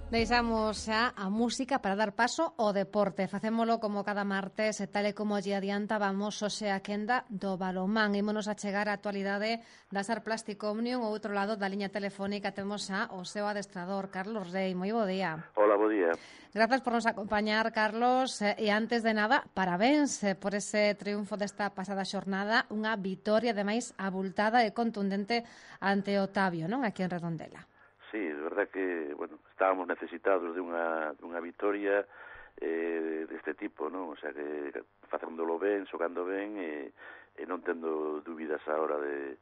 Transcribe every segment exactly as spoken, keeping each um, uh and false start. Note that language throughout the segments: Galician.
Deixamos xa a música para dar paso ao deporte. Facémolo como cada martes, e tal e como lle adiantábamos hoxe a quenda do balonmán. Ímonos a chegar á actualidade da Sar Plastic Omnium. Ao outro lado da liña telefónica temos xa o seu adestrador, Carlos Rei. Moi bo día. Hola, bo día. Grazas por nos acompañar, Carlos. E antes de nada, parabéns por ese triunfo desta pasada xornada. Unha vitoria, ademais, abultada e contundente ante Otavio, non? Aquí en Redondela. Sí, é verdad que, bueno, estábamos necesitados de unha, de unha vitoria eh, deste tipo, non? O sea, que facéndolo ben, xogando ben e, e non tendo dúbidas á hora de,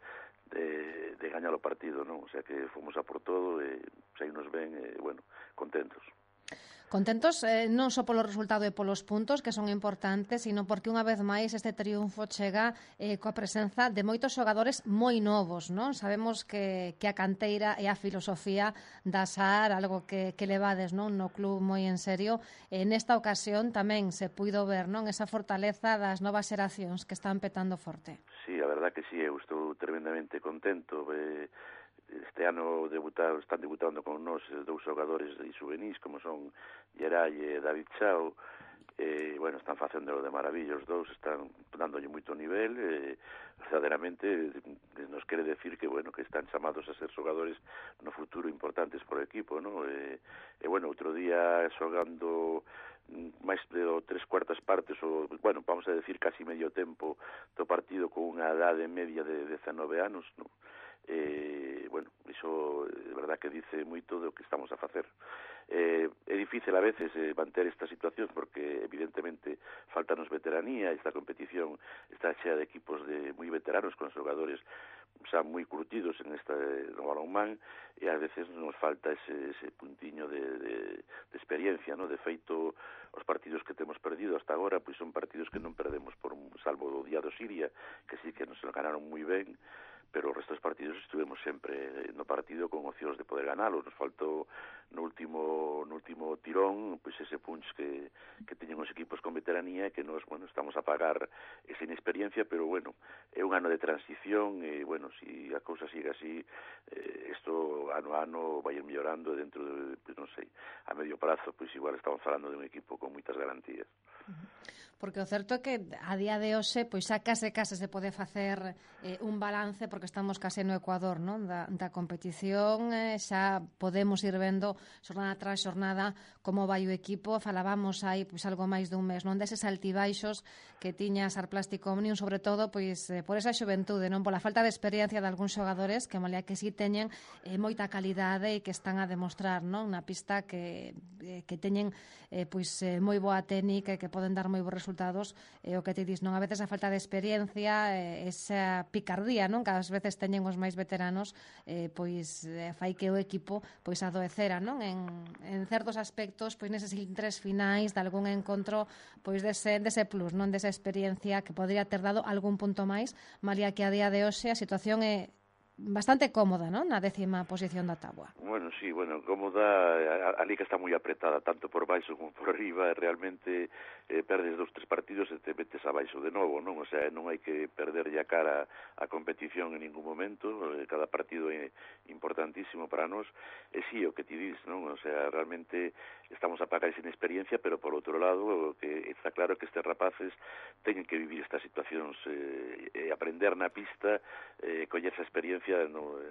de, de gañar o partido, non? O sea, que fomos a por todo e saímos ben e, bueno, contentos. Contentos eh, non só polo resultado e polos puntos, que son importantes, sino porque unha vez máis este triunfo chega eh, coa presenza de moitos xogadores moi novos, non? Sabemos que, que a canteira e a filosofía da S A R, algo que, que levades, non, no club moi en serio, e nesta ocasión tamén se puido ver, non, esa fortaleza das novas xeracións que están petando forte. Sí, a verdad que sí, eu estou tremendamente contento. Eh, este ano debutaron, están debutando con nós dous xogadores de juvenis como son Geray e David Chao. Eh, bueno, están facendo de maravilla os dous, están dándolle moito nivel e verdadeiramente nos quere decir que, bueno, que están chamados a ser xogadores no futuro importantes por equipo, ¿no? E, e bueno, outro día xogando máis de tres cuartas partes, ou, bueno, vamos a decir casi medio tempo do partido con unha edade media de dezanove anos, ¿no? Eh, bueno, iso é verdad que dice moito do que estamos a facer. Eh, é difícil a veces eh, manter esta situación porque evidentemente faltanos veteranía. Esta competición está chea de equipos de moi veteranos con xogadores xa moi curtidos en esta no balonmán e a veces nos falta ese, ese puntiño de, de, de experiencia, ¿no? De feito, os partidos que temos perdido hasta agora pois son partidos que non perdemos por un salvo do día do Siria, que sí que nos lo ganaron moi ben, pero o resto dos partidos estuvemos sempre no partido con opcións de poder ganalo. Nos faltou no último no último tirón pois ese punch que, que teñen os equipos con veteranía e que nos, bueno, estamos a pagar esa inexperiencia, pero bueno, é un ano de transición e, bueno, si a cousa sigue así, eh, isto ano a ano vai ir mellorando dentro de, pues, non sei, a medio prazo, pois igual estamos falando de un equipo con moitas garantías. Porque o certo é que a día de hoxe pois xa case case se pode facer eh, un balance, porque estamos case no Ecuador, non, da, da competición, eh, xa podemos ir vendo xornada tras xornada como vai o equipo. Falábamos aí pois algo máis dun mes, non, deses altibaixos que tiña Sar Plastic Omnium, sobre todo pois eh, por esa xuventude, non, pola falta de experiencia de algúns xogadores que malia que si teñen eh, moita calidade e que están a demostrar, non, na pista que eh, que teñen eh, pois eh, moi boa técnica e que poden dar moi bons resultados, e eh, o que te dis, non, a veces a falta de experiencia, eh, esa picardía, non, que ás veces teñen os máis veteranos, eh, pois eh, fai que o equipo pois adoecera, non, en, en certos aspectos, pois neses tres finais de algún encontro, pois dese, dese plus, non, desa experiencia que podría ter dado algún punto máis, malia que a día de hoxe a situación é bastante cómoda, non, na décima posición da táboa. Bueno, sí, bueno, cómoda, a, a liga está moi apretada, tanto por baixo como por arriba, realmente eh, perdes dos, tres partidos e te metes abaixo de novo, non? O sea, non hai que perder ya cara a competición en ningún momento, eh, cada partido é importantísimo para nós, e sí, o que ti dis, non? O sea, realmente estamos a pagar esa inexperiencia, pero por outro lado, o que está claro que estes rapaces teñen que vivir estas situacións, eh, e aprender na pista, eh, coller esa experiencia no,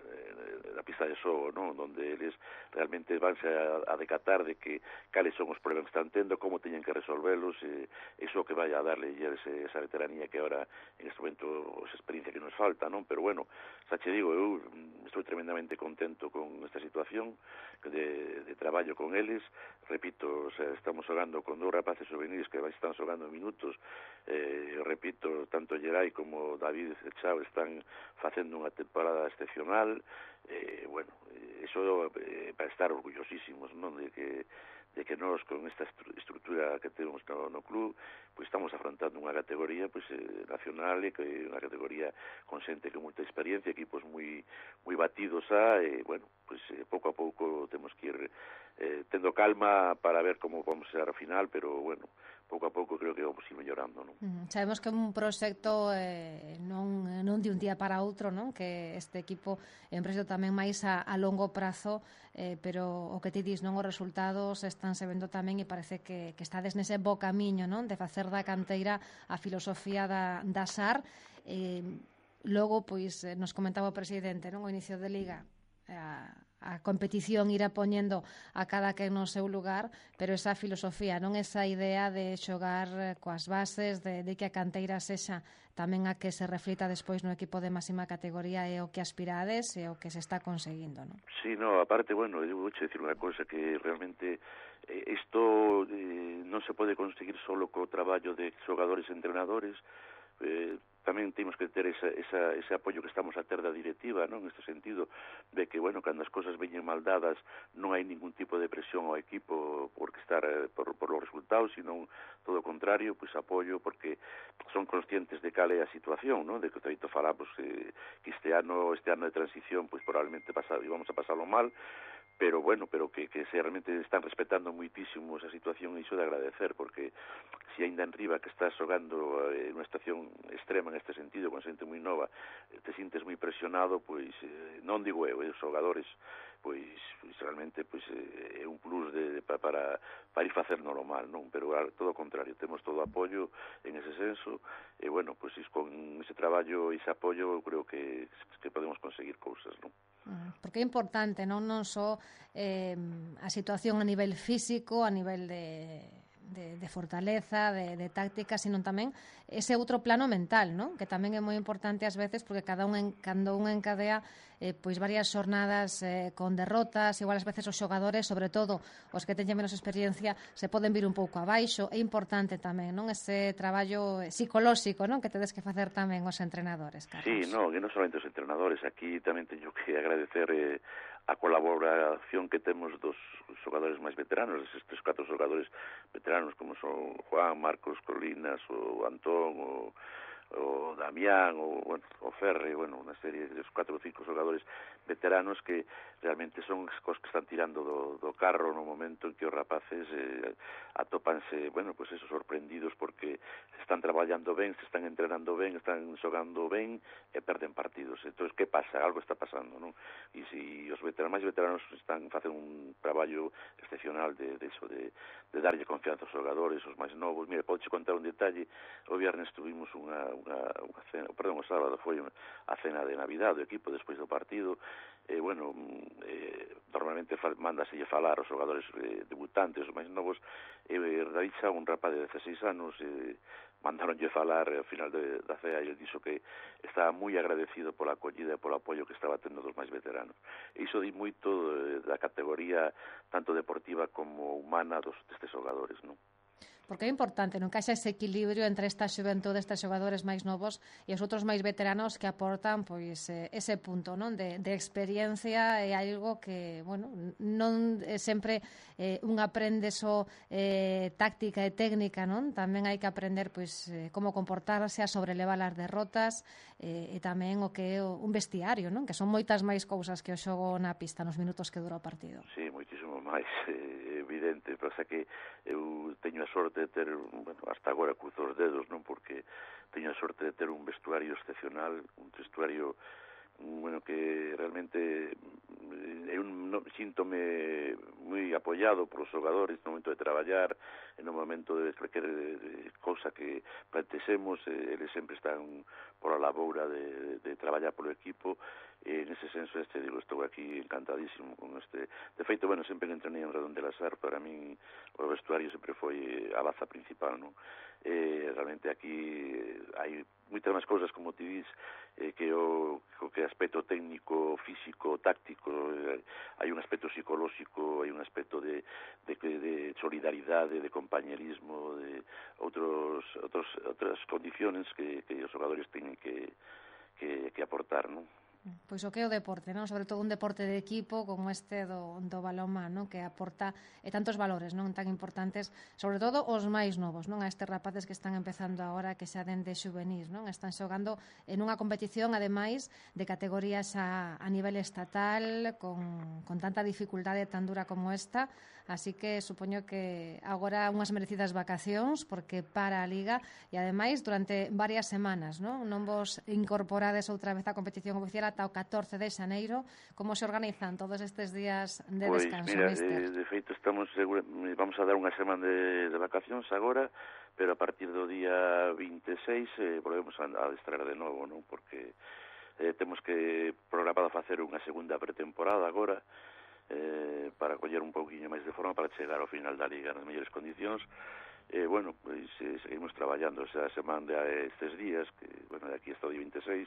na pista de xogo, non? Donde eles realmente vanse a, a decatar de que cales son os problemas que están tendo, como teñen que resolvelos, e iso que vai a darle ese, esa veteranía que ahora en este momento esa experiencia que nos falta, non? Pero bueno, xa che digo, eu estou tremendamente contento con esta situación de, de traballo con eles. Repito, o sea, estamos xogando con dous rapaces juvenis que están xogando minutos, eh, repito, tanto Geray como David Chao están facendo unha temporada excepcional, eh, bueno, eso eh, para estar orgullosísimos, non, de que de que nós con esta estrutura que temos no, no club, pois estamos afrontando unha categoría pois eh, nacional, e que unha categoría con xente con moita experiencia, equipos moi moi batidos a, e bueno, pois eh, pouco a pouco temos que ir eh, tendo calma para ver como vamos ser ao final, pero bueno, pouco a pouco creo que vamos ir mellorando, non? Mm, sabemos que é un proxecto eh, non, non de un día para outro, non? Que este equipo é un proxecto tamén máis a, a longo prazo, eh, pero o que ti dis, non, os resultados están se vendo tamén e parece que, que estades nese bo camiño, non? De facer da canteira a filosofía da, da S A R. Eh, logo, pois, nos comentaba o presidente, non? O inicio de Liga, a, a competición irá poñendo a cada que no seu lugar, pero esa filosofía, non, esa idea de xogar coas bases, de, de que a canteira sexa tamén a que se reflita despois no equipo de máxima categoría é o que aspirades e o que se está conseguindo, non? Sí, no, aparte, bueno, eu vou dicir unha cosa que realmente eh, isto eh, non se pode conseguir solo co traballo de xogadores e entrenadores, eh, tamén temos que ter esa, esa, ese apoio que estamos a ter da directiva, non? Neste sentido de que, bueno, cando as cosas veñen mal dadas non hai ningún tipo de presión ao equipo por estar eh, por, por los resultados, sino todo o contrario, pois apoio, porque son conscientes de cal é a situación, non? De que o falamos que, que este ano este ano de transición, pois probablemente pasa, íbamos a pasarlo mal, pero bueno, pero que, que se realmente están respetando muitísimo esa situación, e iso de agradecer, porque se ainda en riba que estás xogando eh, unha estación extrema neste sentido, con xente moi nova, eh, te sintes moi presionado, pois eh, non digo eu, eh, os xogadores, pois, pois realmente pois eh, é un plus de, de, pa, para, para ir facer normal, non? Pero a, todo o contrario, temos todo o apoio en ese senso, e bueno, pois con ese traballo e ese apoio eu creo que, que podemos conseguir cousas, non? Porque é importante, non non só eh, a situación a nivel físico, a nivel de, de, de fortaleza, de, de táctica, sino tamén ese outro plano mental, non? Que tamén é moi importante ás veces, porque cada un en, cando un encadea eh, pois varias xornadas eh, con derrotas, igual ás veces os xogadores, sobre todo os que teñen menos experiencia, se poden vir un pouco abaixo. É importante tamén, non, ese traballo psicolóxico, non, que tedes que facer tamén os entrenadores, Carlos. Sí, no, que non solamente os entrenadores, aquí tamén teño que agradecer eh, a colaboración que temos dos xogadores máis veteranos, eses tres, catro xogadores veteranos como son Juan, Marcos, Colinas, o Antón, o o Damián, o, bueno, o Ferre, bueno, unha serie de catro ou cinco xogadores veteranos que realmente son os que están tirando do, do carro no momento en que os rapaces eh, atópanse, bueno, pues eso, sorprendidos porque están traballando ben, se están entrenando ben, están xogando ben e perden partidos. Entón, que pasa? Algo está pasando, non? E se os veteranos, máis veteranos están facendo un traballo excepcional de, de eso, de, de darlle confianza aos xogadores, os máis novos. Mira, podes contar un detalle, o viernes tuvimos unha Unha, unha cena, perdón, o sábado foi a cena de Navidad do equipo despois do partido, e, eh, bueno, eh, normalmente mándaselle falar aos xogadores eh, debutantes, os máis novos, e eh, David Xa, un rapaz de dezaseis anos, eh, mandaronlle falar ao final de, da cea, e ele dixo que estaba moi agradecido pola acollida e polo apoio que estaba tendo dos máis veteranos. E iso di moito eh, da categoría tanto deportiva como humana dos destes xogadores, non? Porque é importante, non, que haxa ese equilibrio entre esta xuventude, estes xogadores máis novos e os outros máis veteranos que aportan pois ese punto, non, de, de experiencia, e algo que, bueno, non é sempre eh, un aprende só eh, táctica e técnica, non? Tamén hai que aprender pois eh, como comportarse, a sobrelevar as derrotas eh, e tamén o que é un vestiario, non? Que son moitas máis cousas que o xogo na pista nos minutos que dura o partido. Sí, moitísimo máis, eh, evidente, pasa que eu teño a sorte de ter, bueno, hasta agora cruzo os dedos, non, porque teño a sorte de ter un vestuario excepcional, un vestuario, bueno, que realmente eu non síntome moi apoiado por os xogadores no momento de traballar, no momento de cualquier cousa que plantexemos, eh, eles sempre están por a laboura de, de traballar polo equipo, e nese senso este, digo, estou aquí encantadísimo con este. De feito, bueno, sempre que entrenei en Redondela S A R, para min o vestuario sempre foi a baza principal, non? Eh, realmente aquí hai moitas máis cousas, como ti dis, eh, que o, o que aspecto técnico, físico, táctico, eh, hai un aspecto psicolóxico, hai un aspecto de, de, de solidaridade, de compañerismo, de outros, outros, outras condiciones que, que os xogadores teñen que, que, que aportar, non? Pois o que é o deporte, non? Sobre todo un deporte de equipo como este do, do balonmán, non? Que aporta e tantos valores, non? Tan importantes, sobre todo os máis novos, non? A estes rapaces que están empezando agora, que xa dende xuvenís, non? Están xogando en unha competición, ademais, de categorías a, a nivel estatal, con, con tanta dificultade tan dura como esta, así que supoño que agora unhas merecidas vacacións, porque para a Liga, e ademais durante varias semanas, non? Non vos incorporades outra vez á competición oficial ata o catorce de xaneiro. Como se organizan todos estes días de Pois, descanso, mira, míster? eh, de feito estamos segura, vamos a dar unha semana de, de vacacións agora, pero a partir do día vinte e seis eh, volvemos a, a adestrar de novo, non? Porque eh, temos que programado facer unha segunda pretemporada agora, eh, para coller un pouquiño máis de forma para chegar ao final da Liga nas mellores condicións. Eh, bueno, pois eh, seguimos traballando esa semana de estes días, que, bueno, de aquí hasta o día vinte e seis,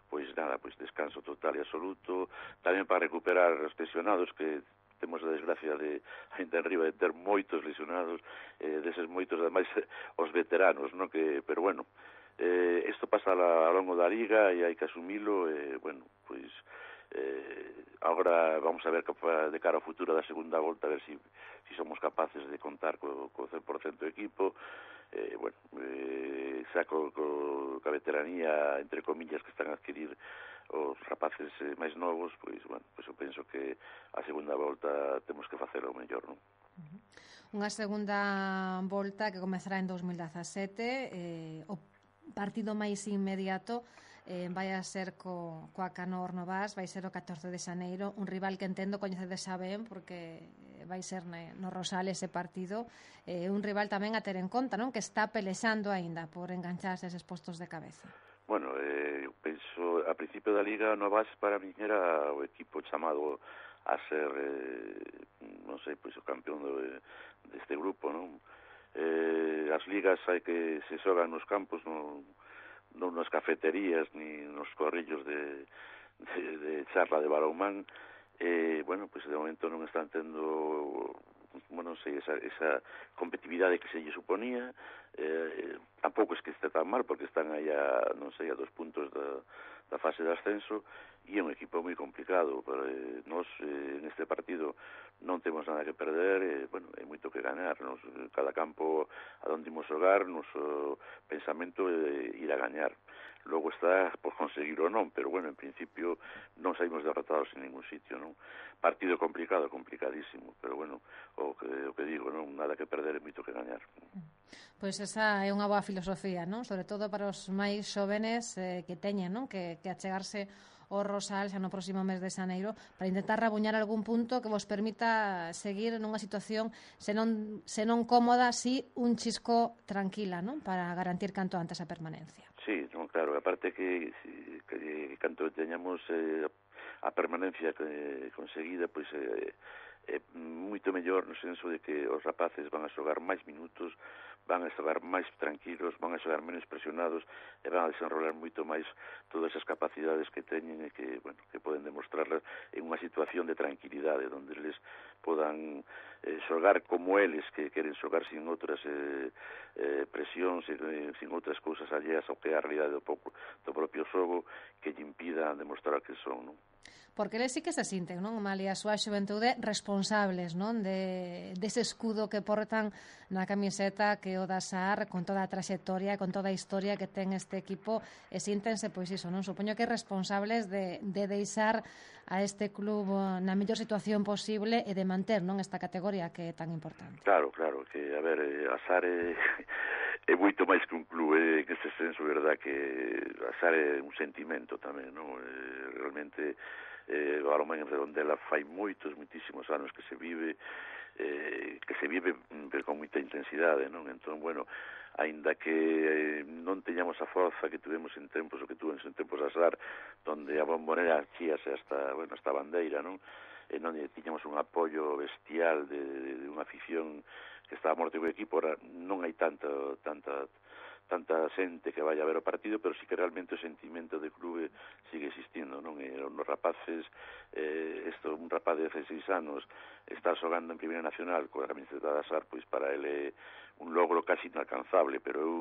pois nada, pois descanso total e absoluto, tamén para recuperar os lesionados, que temos a desgracia de, ainda en riba, de ter moitos lesionados, eh, deses moitos, ademais, os veteranos, no? Que, pero bueno, eh, isto pasa a, a longo da Liga e hai que asumilo, e, eh, bueno, pois, eh, agora vamos a ver de cara ao futuro da segunda volta, a ver si, si somos capaces de contar co, co cen por cento do equipo, eh, bueno, eh, xa co, co, ca veteranía, entre comillas, que están a adquirir os rapaces eh, máis novos, pois, bueno, pois eu penso que a segunda volta temos que facelo mellor, non? Unha segunda volta que comezará en dos mil dezasete, eh, o partido máis inmediato eh, vai a ser co, coa Canor Novas, vai ser o catorce de xaneiro, un rival que entendo coñecedes xa ben, porque vai ser ne, no Rosal ese partido, eh, un rival tamén a ter en conta, non? Que está pelexando aínda por engancharse eses postos de cabeza. Bueno, eh, eu penso, a principio da Liga Novas para mí era o equipo chamado a ser, eh, non sei, pois o campeón do, deste grupo, non? Eh, as ligas hai que se xogan nos campos, non, non nas cafeterías ni nos corrillos de, de, de charla de balonmán, eh, bueno, pois de momento non están tendo, bueno, non sei, esa, esa competitividade que se lle suponía, eh, tampouco es que este tan mal, porque están aí a, non sei, a dos puntos da, da fase de ascenso, e é un equipo moi complicado, pero eh, nós eh, en este partido non temos nada que perder, eh, bueno, é moito que ganar, nos, cada campo a donde imos xogar, noso pensamento é ir a gañar. Logo está por conseguir ou non, pero bueno, en principio non saímos derrotados en ningún sitio, non? Partido complicado, complicadísimo, pero bueno, o que, o que digo, non, nada que perder, é moito que gañar. Pois esa é unha boa filosofía, non? Sobre todo para os máis xóvenes eh, que teñen, non? Que, que achegarse o Rosal xa no próximo mes de xaneiro para intentar rabuñar algún punto que vos permita seguir nunha situación senón, senón cómoda, si un chisco tranquila, non? Para garantir canto antes a permanencia. Sí, no, claro, aparte que, que, que canto teñamos eh, a permanencia que, conseguida, pois eh, é moito mellor no senso de que os rapaces van a xogar máis minutos, van a xogar máis tranquilos, van a xogar menos presionados e van a desenrolar moito máis todas as capacidades que teñen e que, bueno, que poden demostrarlas en unha situación de tranquilidade onde eles podan eh, xogar como eles que queren xogar sin outras eh, eh, presións e eh, sin outras cousas alleas ao que é a realidade do, poco, do propio xogo que lle impidan demostrar que son, non? Porque eles sí que se sinten, non, Malia, a súa xuventude responsables, non, de dese escudo que portan na camiseta que o da Sar, con toda a traxectoria, con toda a historia que ten este equipo, e síntense, pois iso, non, supoño que responsables de, de deixar a este club na mellor situación posible e de manter, non, esta categoría que é tan importante. Claro, claro, que, a ver, a Sar é, é moito máis que un club, é, que ese senso, verdad, que a Sar é un sentimento tamén, non, é, realmente eh, o balonmán en Redondela fai moitos, moitísimos anos que se vive, eh, que se vive pero con moita intensidade, non? Entón, bueno, aínda que eh, non teñamos a forza que tuvemos en tempos, o que tuvemos en tempos a Sar, donde a bombonera chíase hasta, bueno, hasta a bandeira, non? E non tiñamos un apoio bestial de, de, de unha afición que estaba morte co equipo, ora non hai tanto, tanta tanta xente que vai a ver o partido, pero sí que realmente o sentimento de clube sigue existindo, non? E nos rapaces, eh, esto, un rapaz de dezasseis anos está xogando en Primeira Nacional coa camiseta da Sar, pois para ele é un logro casi inalcanzable, pero eu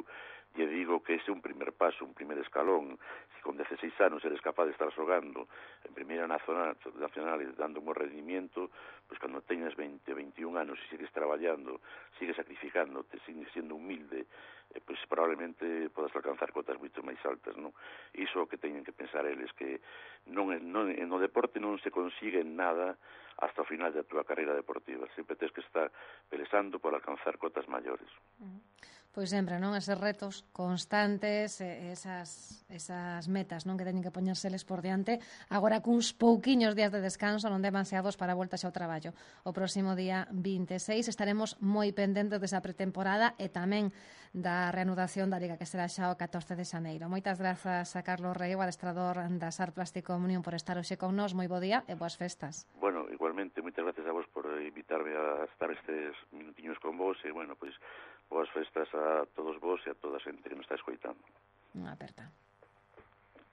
lle digo que ese é un primer paso, un primer escalón. Se con dieciséis anos eres capaz de estar xogando en primeira nacional, nacional e dando un rendimiento, pois cando teñas veinte, veintiún anos e sigues traballando, sigues sacrificándote, sigues sendo humilde, eh, pois probablemente podas alcanzar cotas moito máis altas, non? Iso é o que teñen que pensar eles, que non, non, no deporte non se consigue nada hasta o final da túa carreira deportiva. Sempre tens que estar pelesando por alcanzar cotas maiores. Uh-huh. Pois sempre, non? Eses retos constantes, esas, esas metas, non? Que teñen que poñérseles por diante. Agora cuns pouquiños días de descanso, non demasiados para a volta xa ao traballo. O próximo día vinte e seis estaremos moi pendentes desa pretemporada e tamén da reanudación da Liga, que será xa o catorce de xaneiro. Moitas grazas a Carlos Rei, o adestrador da S A R Plástico Omnium, por estar hoxe con nós. Moi bo día e boas festas. Bueno, igualmente, moitas gracias a vos por invitarme a estar estes minutiños con vos e, bueno, pois, boas festas a todos vos e a toda a xente que nos está escoitando. Unha aperta.